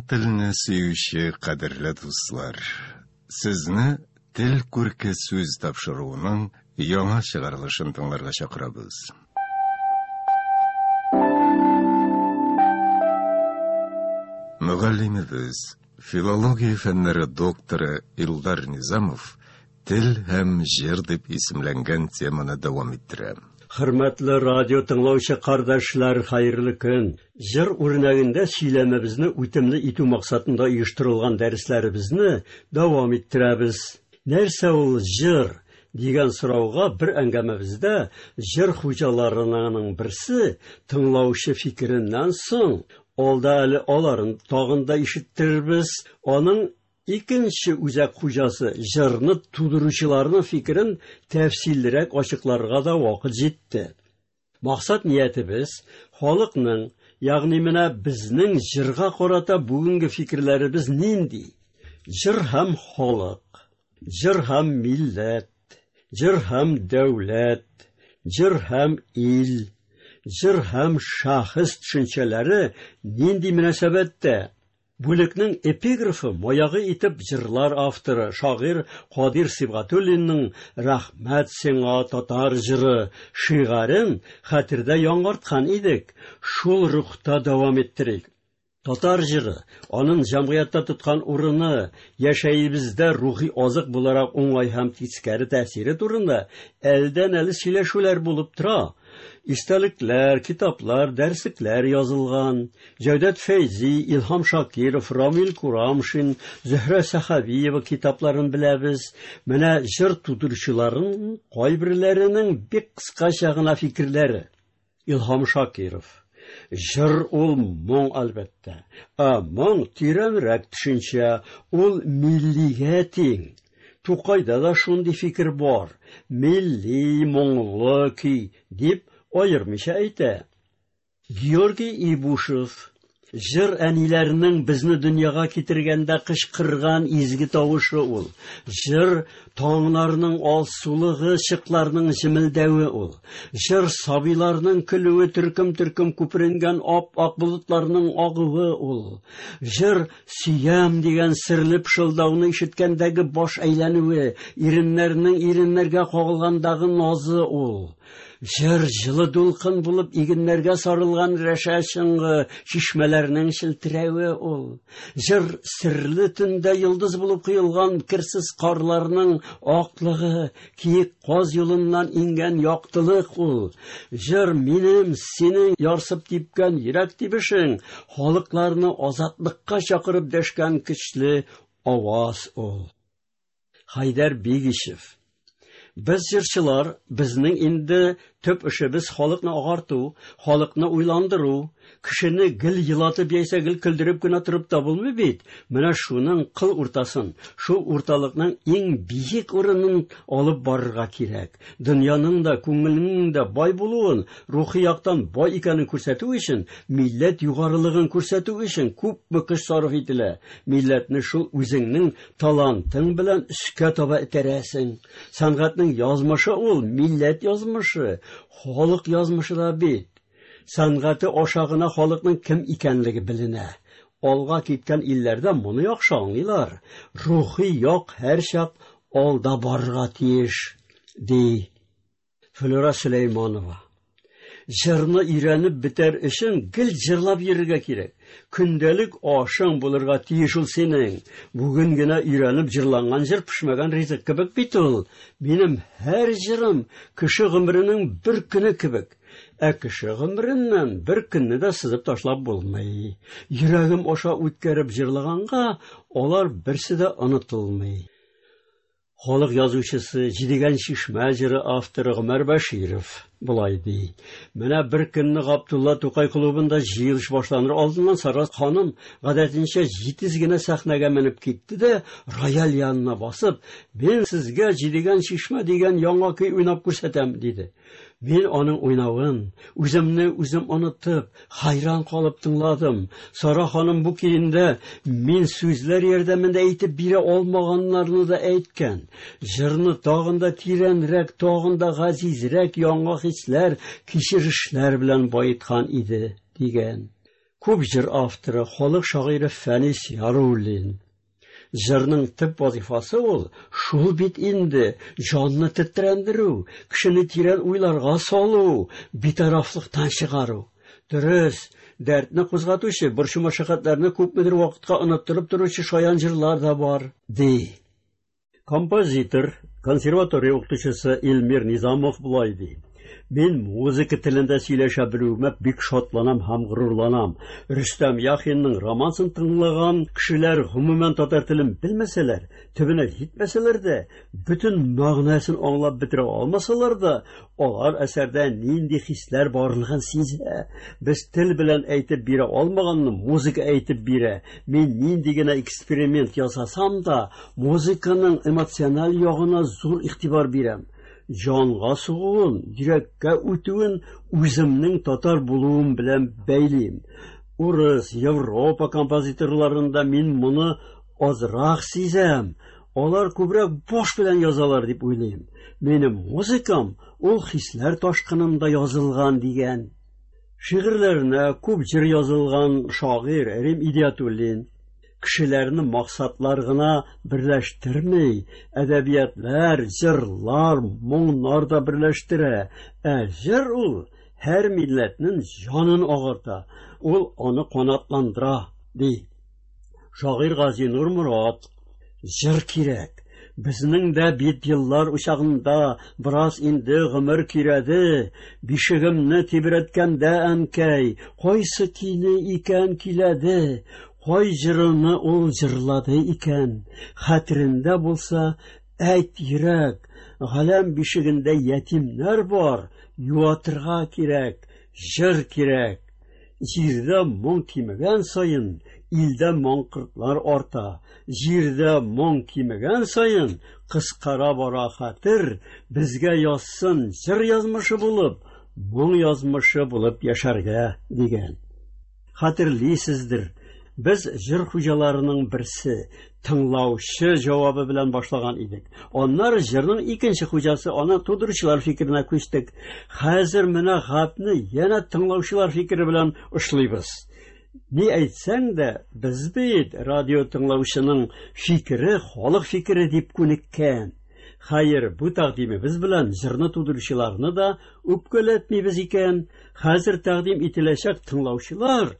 Туган телне сөюче кадерле дуслар, сезне Тел күрке сүз тапшыруының яңа чыгарылышын тыңларга чакырабыз. Мөгаллимебез, филология фәннәре докторы Илдар Низамов Тел һәм җыр дип исемләнгән теманы дәвам иттерә. Хөрмәтле радио тыңлаучы кардәшләр, хәерле көн! Җыр үрнәгендә сөйләмебезне үтемле итү максатында оештырылган дәресләребезне дәвам иттерәбез. Нәрсә ул җыр? дигән сорауга бер әңгәмәбездә җыр хуҗаларының берсе тыңлаучы фикереннән соң, алда әле аларын тагын да ишеттерербез, аның икенче үзәк хуҗасы җырны тудыручыларның фикерен тәфсиллерәк ачыкларга да вакыт җитте. Максат ниятебез халыкның, ягъни менә безнең җырга карата бүгенге фикерләребез нинди? Җыр һәм халык, җыр һәм милләт, җыр һәм дәүләт, җыр һәм ил, җыр һәм шәхес төшенчәләре нинди мөнәсәбәттә? Бүлекнең эпиграфы маягы итеп җырлар авторы, шагыйрь Кадир Сибгатуллинның «Рәхмәт сиңа, татар җыры» шигарен хәтердә яңарткан идек. Шул рухта дәвам иттерик. Татар җыры, аның җәмгыятьтә тоткан урыны, яшәебездә рухи азык буларак уңай һәм тискәре тәэсире турында әлдән-әле сөйләшүләр булып тора. Истәлекләр, китаплар, дәреслекләр язылган. Җәүдәт Фәйзи, Илһам Шакиров, Рамил Курамшин, Зөһрә Сәхәбиева китапларын беләбез. Менә җыр тудыручыларның кайберләренең бик кыскача гына фикерләре. Илһам Шакиров. Җыр ул моң, әлбәттә. Ә моң тирәнрәк төшенчә, ул миллигә тиң. Тукайда да шундый фикер бар. Милли моңлы көй дип аермыйча әйтә. Георгий Ибушев. Җыр әниләрнең безне дөньяга китергәндә кычкырган изге тавышы ул. Җыр таңнарның алсулыгы, чыкларның җемелдәве ул. Җыр сабыйларның көлүе, төркем-төркем күперенгән ап-ак болытларның агуы ул. Җыр сөям дигән серле пышылдауны ишеткәндәге баш әйләнүе, иреннәрнең иреннәргә кагылгандагы назы ул. Җыр җылы дулкын булып игеннәргә сарылган рәшә чыңгы, чишмәләрнең челтерәве ул. Җыр серле төндә йолдыз булып коелган керсез карларның аклыгы, киек каз юлыннан иңгән яктылык ул. Җыр минем, синең ярсып типкән йөрәк тибешең, халыкларны азатлыкка чакырып дәшкән көчле аваз ул. Хайдар Бигишев. Без җырчылар, безнең инде төп эшебез халыкны агарту, халыкны уйландыру. Кешене гел елатып яисә гел көлдереп кенә торып та булмый бит. Менә шуның кыл уртасын, шул урталыкның иң биек урынын алып барырга кирәк. Дөньяның да, күңелнең дә бай булуын, рухи яктан бай икәнен күрсәтү өчен, милләт югарылыгын күрсәтү өчен күпме көч сарыф ителә. Милләтне шул үзеңнең талантың белән өскә таба этәрәсең. Сәнгатьнең язмышы ул, милләт язмышы, халык язмышы да бит. Сәнгате аша гына халыкның кем икәнлеге беленә. Алга киткән илләрдә моны яхшы аңлыйлар. Рухи як һәрчак алда барырга тиеш, ди Флюра Сөләйманова. Җырны өйрәнеп бетәр өчен гел җырлап йөрергә кирәк. Көндәлек ашың булырга тиеш ул синең. Бүген генә өйрәнеп җырланган җыр пешмәгән ризык кебек бит ул. Минем һәр җырым кеше гомеренең бер көне кебек. Ә кеше гомереннән бер көнне дә сызып ташлап булмый. Йөрәгем аша үткәреп җырлаганга алар берсе дә онытылмый. Халык язучысы, Җидегән чишмә җыры авторы Гомәр Бәширов болай ди. Менә бер көнне Габдулла Тукай клубында җыелыш башланыр алдыннан Сара ханым гадәтенчә җитез генә сәхнәгә менеп китте дә, рояль янына басып, "Мин сезгә Җидегән чишмә дигән яңа көй уйнап күрсәтәм", диде. Мин аның уйнавын, үземне үзем онытып, хайран калып тыңладым. Сара ханым бу көендә мин сүзләр ярдәмендә әйтеп бирә алмаганнарны да әйткән. Җырны тагын да тирәнрәк, тагын да газизрәк яңа хисләр, кичерешләр белән баеткан иде, дигән. Күп җыр авторы, халык шагыйре Фәнис Яруллин. Җырның төп вазифасы ул шул бит инде, җанны тетрәндерү, кешене тирән уйларга салу, битарафлыктан чыгару. Дөрес, дәртне кузгатучы, борчу-мәшәкатьләрне күпмедер вакытка оныттырып торучы шаян җырлар да бар, ди. Композитор, консерватория укытучысы Илмир Низамов болай ди. Мин музыка телендә сөйләшә белүемә бик шатланам һәм горурланам. Рөстәм Яхинның романсын тыңлаган кешеләр гомумән татар телен белмәсәләр, төбенә җитмәсәләр дә, бөтен мәгънәсен аңлап бетерә алмасалар да, алар әсәрдә нинди хисләр барлыгын сизә. Без тел белән әйтеп бирә алмаганны музыка әйтеп бирә. Мин нинди генә эксперимент ясасам да, музыканың эмоциональ ягына зур игътибар бирәм. Җанга сугуын, йөрәккә үтүен үземнең татар булуым белән бәйлим. Урыс, Европа композиторларында мин моны азрак сизәм. Алар күбрәк баш белән язалар дип уйлыйм. Минем музыкам ул хисләр ташкынында язылган дигән. Шигырьләренә күп җыр язылган шагыйрь Рим Идиятуллин кешеләрне максатлар гына берләштерми, әдәбиятлар, җырлар, моңнар да берләштерә. Ә җыр ул һәр милләтнең җанын агарта, ул аны канатландыра, ди. Шагыйрь Газинур Морат, җыр кирәк. Безнең дә бит еллар учагында бераз инде гомер кирәде. Бишегемне тибрәткәндә әнкәй, кайсы көйне икән көйләде, кай җырыны ул җырлады икән. Хәтерендә булса, әйт йөрәк, галәм бишегендә ятимнәр бар, юатырга кирәк, җыр кирәк. Җирдә моң кимегән саен, илдә маңкортлар арта. Җирдә моң кимегән саен, кыскара бара хәтер, безгә язсын җыр язмышы булып, моң язмышы булып яшәргә дигән. Хәтерлисездер, без җыр хуҗаларының берсе, тыңлаучы җавабы белән башлаган идек. Аннары җырның икенче хуҗасы, аны тудыручылар фикеренә күчтек. Хәзер менә гапны янә тыңлаучылар фикере белән очлыйбыз. Ни әйтсәң дә, без бит радио тыңлаучының фикере, халык фикере дип күнеккән. Хәер, бу тәкъдимебез белән җырны тудыручыларны да үпкәләтмибез икән. Хәзер тәкъдим ителәчәк тыңлаучылар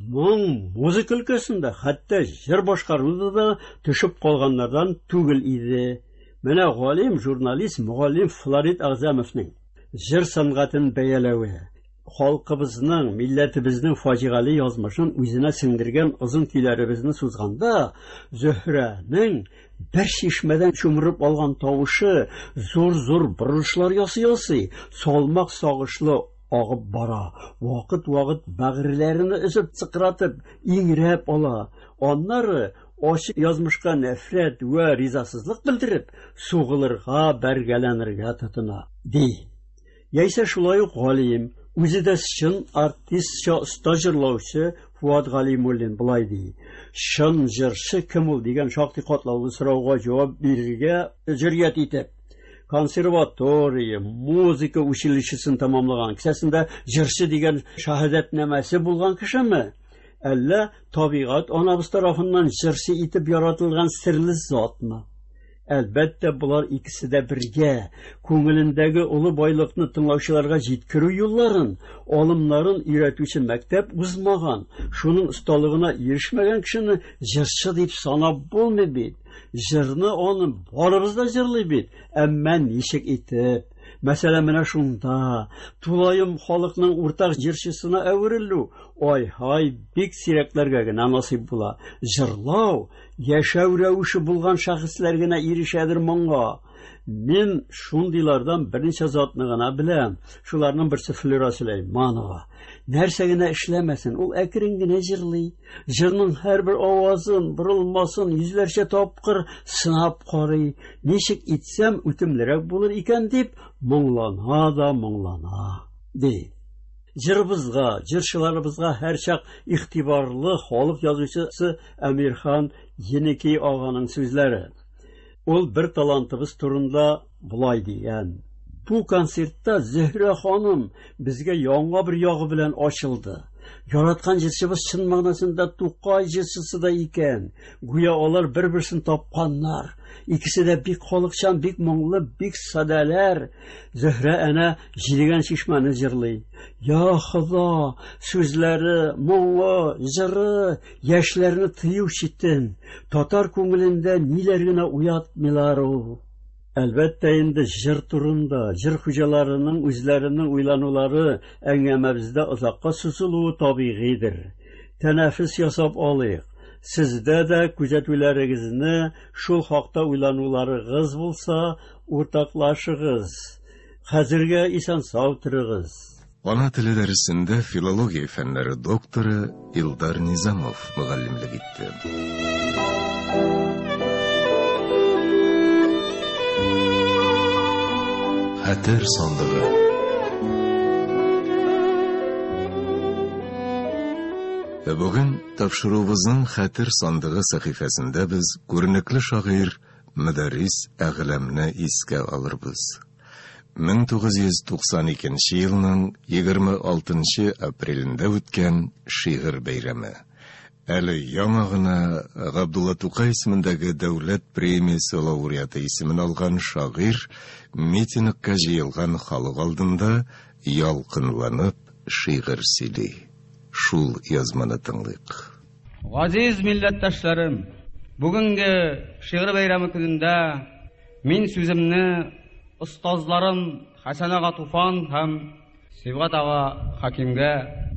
моң музыка өлкәсендә, хәтта җыр башкаруда да төшеп калганнардан түгел иде. Менә галим, журналист, мөгаллим Флорид Әгъзәмовның җыр сәнгатен бәяләве, халкыбызның, милләтебезнең фаҗигале язмышын үзенә сеңдергән озын көйләребезне сузганда, Зөһрәнең бер чишмәдән чумырып алган тавышы зур-зур борылышлар ясый-ясый, салмак сагышлы агып бара. Вакыт-вакыт бәгырьләрен өзеп сыкратып, иңрәп ала. Аннары ачы язмышка нәфрәт вә ризасызлык белдереп, сугылырга, бәргәләнергә тотына, ди. Яисә шулай ук галим, үзе дә чын артистча оста җырлаучы Фуат Галимуллин болай ди. Чын җырчы кем ул дигән шактый катлаулы сорауга җавап бирергә җөрьәт итеп, консерватория, музыка училищесын тәмамлаган, кесәсендә җырчы дигән шаһәдәтнамәсе булган кешеме? Әллә табигать анабыз тарафыннан җырчы итеп яратылган серле затмы? Әлбәттә, болар икесе дә бергә, күңелендәге олы байлыкны тыңлаучыларга җиткерү юлларын, алымнарын өйрәтүче мәктәп узмаган, шуның осталыгына ирешмәгән кешене җырчы дип санап булмый бит. Җырны аны барыбыз да җырлый бит, әмма ничек итеп? Мәсәлән, менә шунда тулаем халыкның уртак җырчысына әверелү, ай-һай, бик сирәкләргә генә насыйп була. Җырлау яшәү рәвеше булган шәхесләр генә ирешәдер моңа. Мин шундыйлардан берничә затны гына беләм. Шуларның берсе Флюра Сөләйманова. Нәрсә генә эшләмәсен, ул әкрен генә җырлый. Җырның һәрбер авазын, борылмасын йөзләрчә тапкыр сынап карый. Ничек итсәм үтемлерәк булыр икән дип моңлана да моңлана, ди. Җырыбызга, җырчыларыбызга һәрчак игътибарлы халык язучысы Әмирхан Еники аганың сүзләре. Ул бер талантыбыз турында болай дигән. Бу концертта Зөһрә ханым безгә яңа бер ягы белән ачылды. Яраткан җырчыбыз чын мәгънәсендә Тукай җырчысы да икән. Гүя алар бер-берсен тапканнар. Икесе дә бик халыкчан, бик моңлы, бик садәләр. Зөһрә әнә Җидегән чишмәне җырлый. Я Хода, сүзләре, моңы, җыры яшьләрне тыю читен. Татар күңелендә ниләр генә уятмыйлар ул. Әлбәттә инде җыр турында, җыр хуҗаларының үзләренең уйланулары әңгәмәбездә озакка сузылуы табигыйдер. Тәнәфес ясап алыйк. Сездә дә күзәтүләрегезне, шул хакта уйлануларыгыз булса, уртаклашыгыз. Хәзергә исән-сау торыгыз. Ана теле дәресендә филология фәннәре докторы Илдар Низамов мөгаллимлек итте. Хәтер сандыгы. Ә бүген тапшыруыбызның Хәтер сандыгы сәхифәсендә без күренекле шагыйрь Мөдәррис Әгъләмне искә алырбыз. 1992 елның 26 нчы апрелендә үткән шигырь бәйрәме. Әле яңа гына Габдулла Тукай исемендәге дәүләт премиясе лауреаты исемен алган шагыйрь митингка җыелган халык алдында ялкынланып шигырь сөйли. Шул язманы тыңлыйк. Газиз милләттәшләрем, бүгенге шигырь бәйрәме көнендә мин сүземне остазларым Хәсән ага Туфан һәм Сибгат ага Хәкимгә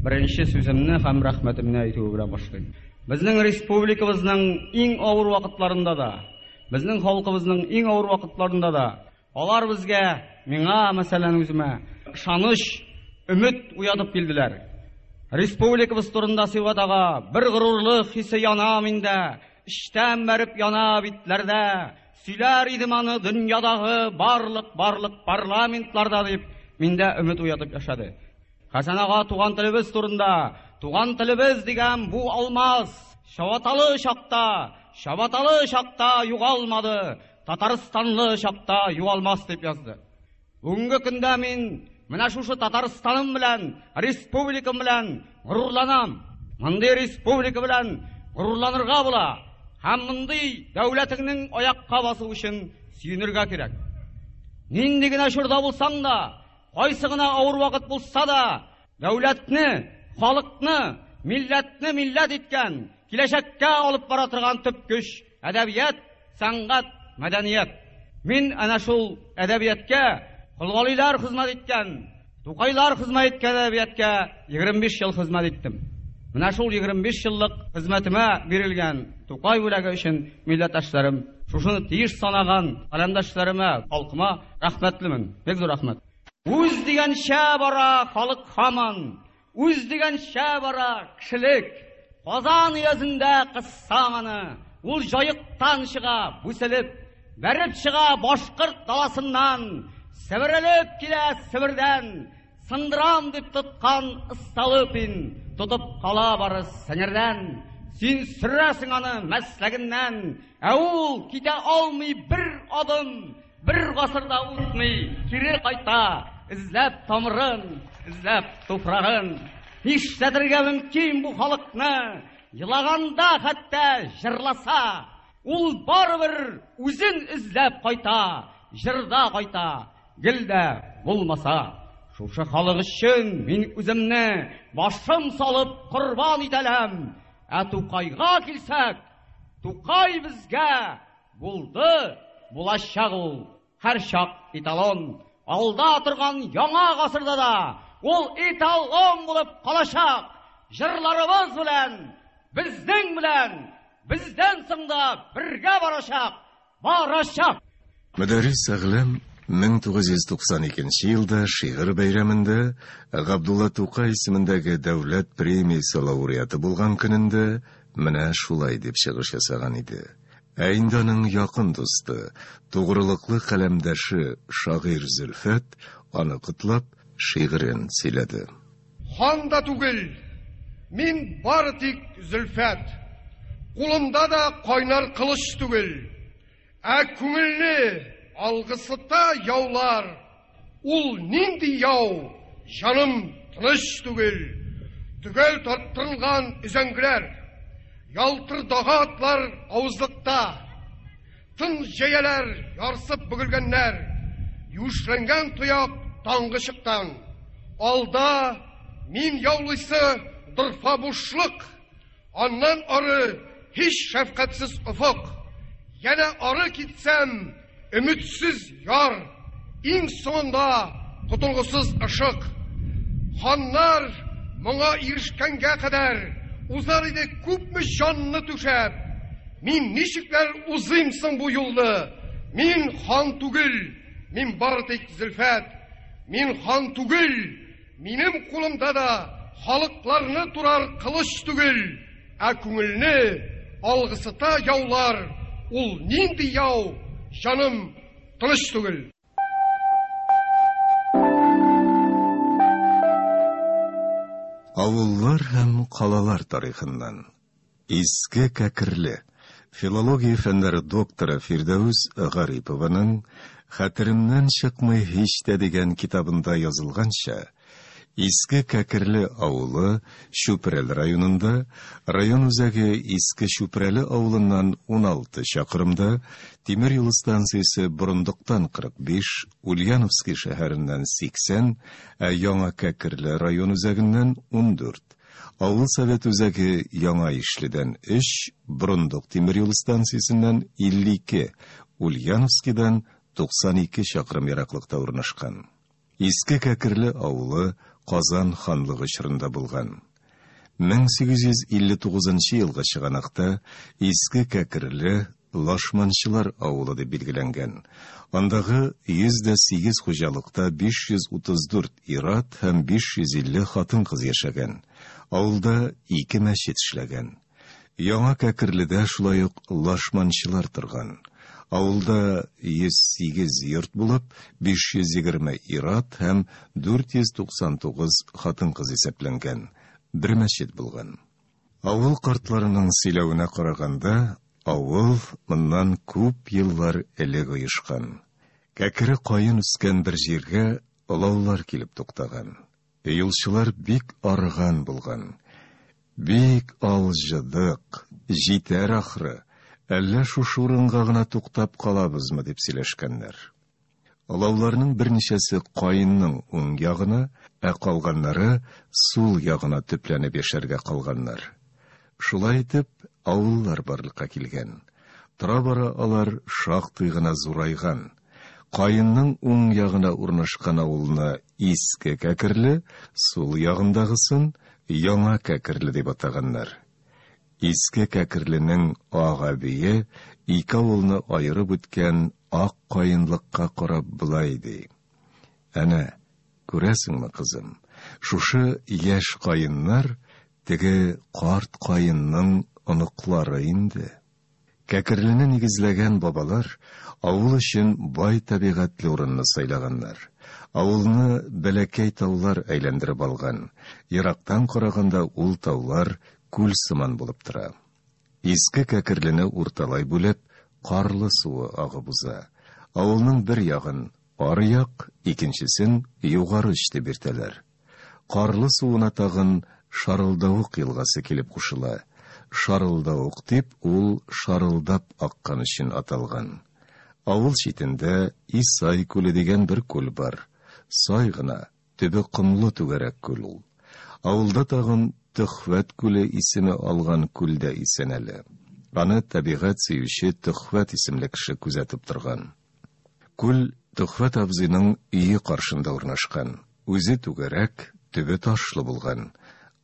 беренче сүземне һәм рәхмәтемне әйтүе белән башлыйм. Безнең республикабызның иң авыр вакытларында да, безнең халкыбызның иң авыр вакытларында да алар безгә, миңа, мәсәлән, үземә ышаныч, өмет уятып килделәр. Республикабыз турында Сибгат ага бер горурлык хисе яна миндә, эчтән бәреп яна битләрдә. Сөйләр идем аны дөньядагы барлык-барлык парламентларда дип, миндә өмет уятып яшәде. Хәсән ага туган телебез турында, туган телебез дигән бу алмаз чабаталы чакта, чабаталы чакта югалмады, татарстанлы чакта югалмас дип язды. Бүгенге көндә мин менә шушы Татарстаным белән, республикам белән горурланам. Мондый республика белән горурланырга була. Һәм мондый дәүләтеңнең аякка басу өчен сөенергә кирәк. Нинди генә чорда булсаң да, кайсы гына авыр вакыт булса да, дәүләтне, халыкны, милләтне милләт иткән, киләчәккә алып бара торган төп көч әдәбият, сәнгать, мәдәният. Мин әнә шул әдәбияткә Колгалилар хезмәт иткән, Тукайлар хезмәт иткән әдәбияткә 25 ел хезмәт иттем. Менә шул 25 еллык хезмәтемә бирелгән Тукай бүләге өчен милләттәшләрем, шушыны тиеш санаган каләмдәшләремә, халкыма рәхмәтлемен. Бик зур рәхмәт. Үз дигәнчә бара халык һаман, Үз дигәнчә бара кешелек. Казан өязендә кыссаң аны, ул Җаектан чыга бүселеп, бәреп чыга башкорт даласыннан, себерелеп килә Себердән, сындырам дип тоткан Столыпин тотып кала бары сеңердән. Син сөрәсең аны мәсләгеннән, ә ул китә алмый бер адым, Бер гасыр да үтми, кире кайта, эзләп тамырын, эзләп туфрагын. Нишләтергә мөмкин бу халыкны? Елаганда хәтта җырласа, ул барыбер үзен эзләп кайта, җырда кайта, гел дә булмаса. Шушы халык өчен мин үземне башым салып корбан итәләм. Ә Тукайга килсәк, Тукай безгә Булды, булачак ул, һәрчак эталон. Алда торган яңа гасырда да ул эталон булып калачак. Җырларыбыз белән, безнең белән, бездән соң да бергә барачак, барачак. Мөдәррис Әгъләм 1992 елда шигырь бәйрәмендә Габдулла Тукай исемендәге дәүләт премиясе лауреаты булган көнендә менә шулай дип чыгыш ясаган иде. Ә инде аның якын дусты, тугрылыклы каләмдәше шагыйрь Зөлфәт аны котлап, шигырен сөйләде. Хан да түгел, мин бары тик Зөлфәт. Кулымда да кайнар кылыч түгел. Ә күңелне алгысыта яулар. Ул нинди яу, җаным тыныч түгел. Төгәл тарттырылган өзәңгеләр, ялтырдагы атлар авызлыкта, тын җәяләр ярсып бөгелгәннәр, юешләнгән тояк таңгы чыктан. Алда мин яулыйсы дорфа бушлык, аннан ары һич шәфкатьсез офык. Янә ары китсәм, өметсез яр, иң соңында котылгысыз ышык. Ханнар моңа ирешкәнгә кадәр узар иде күпме җанны түшәп. Мин ничекләр узыйм соң бу юлны? Мин хан түгел, мин бары тик Зөлфәт. Мин хан түгел, минем кулымда да халыкларны турар кылыч түгел, ә күңелне алгысыта яулар, ул нинди яу, җаным тыныч түгел. Авыллар һәм калалар тарихыннан. Иске Кәкерле, филология фәннәре докторы Фирдәүс Гарипованың Хәтеремнән чыкмый һич тә дигән китабында язылганча, Иске Кәкерле авылы Чүпрәле районында, район үзәге Иске Чүпрәле авылыннан 16 чакрымда, тимер юл станциясе Борындыктан 45, Ульяновский шәһәреннән 80, ә Яңа Кәкерле район үзәгеннән 14. Авыл совет үзәге Яңа Ишледән 3, Борындык тимер юл станциясеннән 52, Ульяновскидан 92 чакрым ераклыкта урнашкан. Иске Кәкерле авылы Казан ханлыгы чорында булган. 1859 елгы чыганакта Иске Кәкерле Лашманчылар авылы дип билгеләнгән. Андагы 108 хуҗалыкта 534 ир-ат һәм 550 хатын-кыз яшәгән. Авылда ике мәчет эшләгән. Яңа Кәкерледә шулай ук лашманчылар торган. Авылда 108 йорт булып, 520 ир-ат һәм 499 хатын-кыз исәпләнгән. Бер мәчет булган. Авыл картларының сөйләвенә караганда, авыл моннан күп еллар элек оешкан. Кәкре каен үскән бер җиргә олаулар килеп туктаган. Юлчылар бик арыган булган. Бик алҗыдык, җитәр ахры, әллә шушы урынга гына туктап калабызмы, дип сөйләшкәннәр. Олауларның берничәсе каенның уң ягына, ә калганнары сул ягына төпләнеп яшәргә калганнар. Шулай итеп, авыллар барлыкка килгән. Тора-бара алар шактый гына зурайган. Каенның уң ягына урнашкан авылны Иске Кәкерле, сул ягындагысын Яңа Кәкерле дип атаганнар. Иске Кәкерленең ак әбие ике авылны аерып үткән ак каенлыкка карап болай ди: Әнә, күрәсеңме, кызым, шушы яшь каеннар теге карт каенның оныклары инде. Кәкерлене нигезләгән бабалар авыл өчен бай табигатьле урынны сайлаганнар. Авылны бәләкәй таулар әйләндереп алган. Ерактан караганда ул таулар күл сыман булып тора. Иске Кәкерлене урталай бүлеп, Карлы суы агып уза. Авылның бер ягын аръяк, икенчесен югары оч дип йөртәләр. Карлы суына тагын Шарылдавык елгасы килеп кушыла. Шарылдавык дип ул шарылдап аккан өчен аталган. Авыл читендә Исай күле дигән бер күл бар. Сай гына, төбе комлы түгәрәк күл ул. Авылда тагын Төхвәт күле исеме алган күл дә исән әле. Аны табигать сөюче Төхвәт исемле кеше күзәтеп торган. Күл Төхвәт абзыйның өе каршында урнашкан. Үзе түгәрәк, төбе ташлы булган.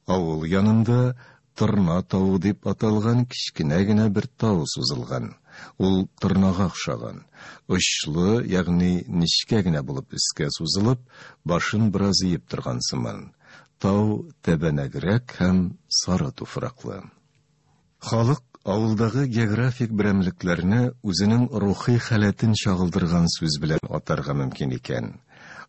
Авыл янында Торна тавы дип аталган кечкенә генә бер тау сузылган. Ул торнага охшаган. Очлы, ягъни нечкә генә булып өскә сузылып, башын бераз иеп торган сыман. Тау тәбәнәгрәк һәм сары туфраклы. Халык авылдагы географик берәмлекләрне үзенең рухи халәтен чагылдырган сүз белән атарга мөмкин икән.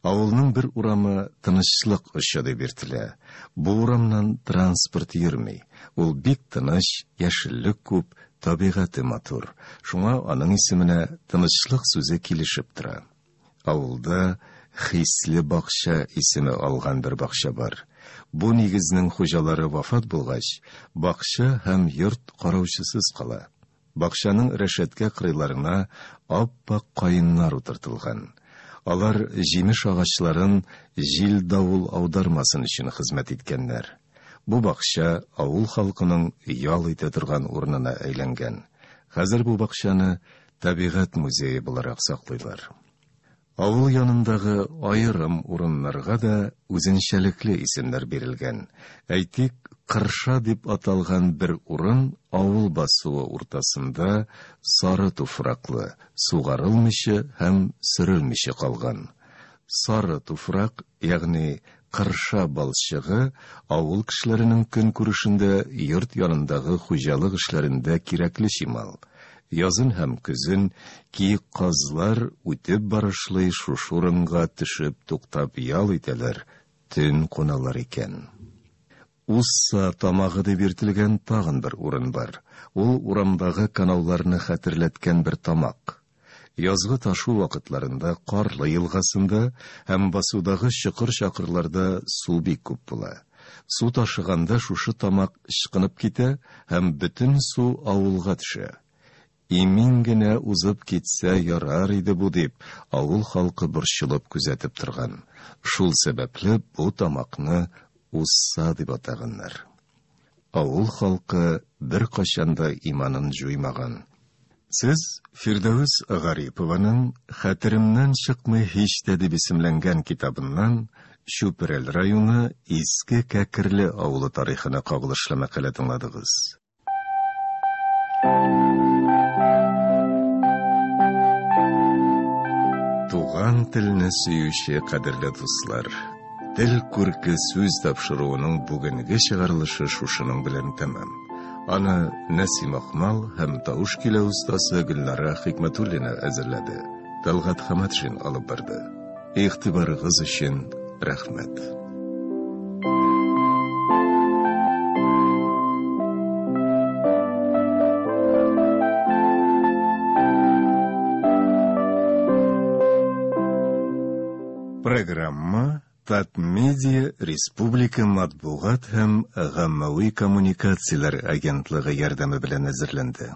Авылның бер урамы Тынычлык очы дип йөртелә. Бу урамнан транспорт йөрми. Ул бик тыныч, яшеллек күп, табигате матур. Шуңа аның исеменә Тынычлык сүзе килешеп тора. Авылда Хисле бакча исеме алган бер бакча бар. Бу нигезнең хуҗалары вафат булгач, бакча һәм йорт караучысыз кала. Бакчаның рәшәткә кырыйларына ап-ак каеннар утыртылган. Алар җимеш агачларын җил-давыл аудармасын өчен хезмәт иткәннәр. Бу бакча авыл халкының ял итә торган урынына әйләнгән. Хәзер бу бакчаны табигать музее буларак саклыйлар. Авыл янындагы аерым урыннарга да үзенчәлекле исемнәр бирелгән. Әйтик, Кырша дип аталган бер урын авыл басуы уртасында сары туфраклы, сугарылмыйча һәм сөрелмичә калган. Сары туфрак, ягъни кырша балчыгы авыл кешеләренең көнкүрешендә, йорт янындагы хуҗалык эшләрендә кирәкле чимал. Язын һәм көзен киек казлар үтеп барышлый шушы урынга төшеп туктап ял итәләр, төн куналар икән. Усса тамагы дип йөртелгән тагын бер урын бар. Ул урамдагы канауларны хәтерләткән бер тамак. Язгы ташу вакытларында Карлы елгасында һәм басудагы чокыр-чакырларда су бик күп була. Су ташыганда шушы тамак ычкынып китә һәм бөтен су авылга төшә. Имин генә узып китсә ярар иде бу дип, авыл халкы борчылып күзәтеп торган. Шул сәбәпле бу тамакны Усса дип атаганнар. Авыл халкы беркайчан да иманын җуймаган. Сез Фирдәвес Гарипованың Хәтеремнән чыкмый һич тә дип исемләнгән китабыннан Чүпрәл районы Иске Кәкерле авылы тарихына кагылышлы мәкалә тыңладыгыз. Туган телне сөюче кадерле дуслар, Тел күрке сүз тапшыруының бүгенге чыгарылышы шушының белән тәмам. Аны Нәсим Акмал һәм тавыш көйләү остасы Гөлнара Хикмәтуллина әзерләде. Талгат Хаматшин алып барды. Игътибарыгыз өчен рәхмәт. Программа Татмедиа республика матбугат һәм гаммәви коммуникацияләр агентлыгы ярдәме белән әзерләнде.